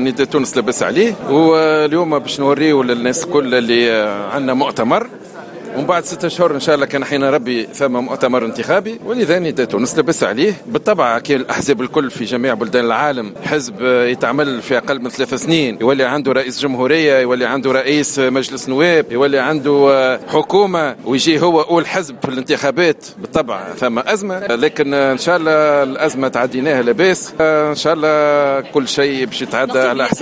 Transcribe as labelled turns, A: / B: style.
A: نداء تونس لاباس عليه، واليوم باش نوريو للناس الكل اللي عندنا مؤتمر، ومن بعد 6 اشهر ان شاء الله كان حين ربي ثم مؤتمر انتخابي. ولذا نداء تونس لاباس عليه. بالطبع كي الاحزاب الكل في جميع بلدان العالم، حزب يتعمل في اقل من 3 سنين يولي عنده رئيس جمهوريه، يولي عنده رئيس مجلس نواب، يولي عنده حكومه، ويجي هو اول حزب في الانتخابات، بالطبع ثم ازمه، لكن ان شاء الله الازمة تعديناها لاباس. ان شاء الله كل شيء باش يتعدى على احسن.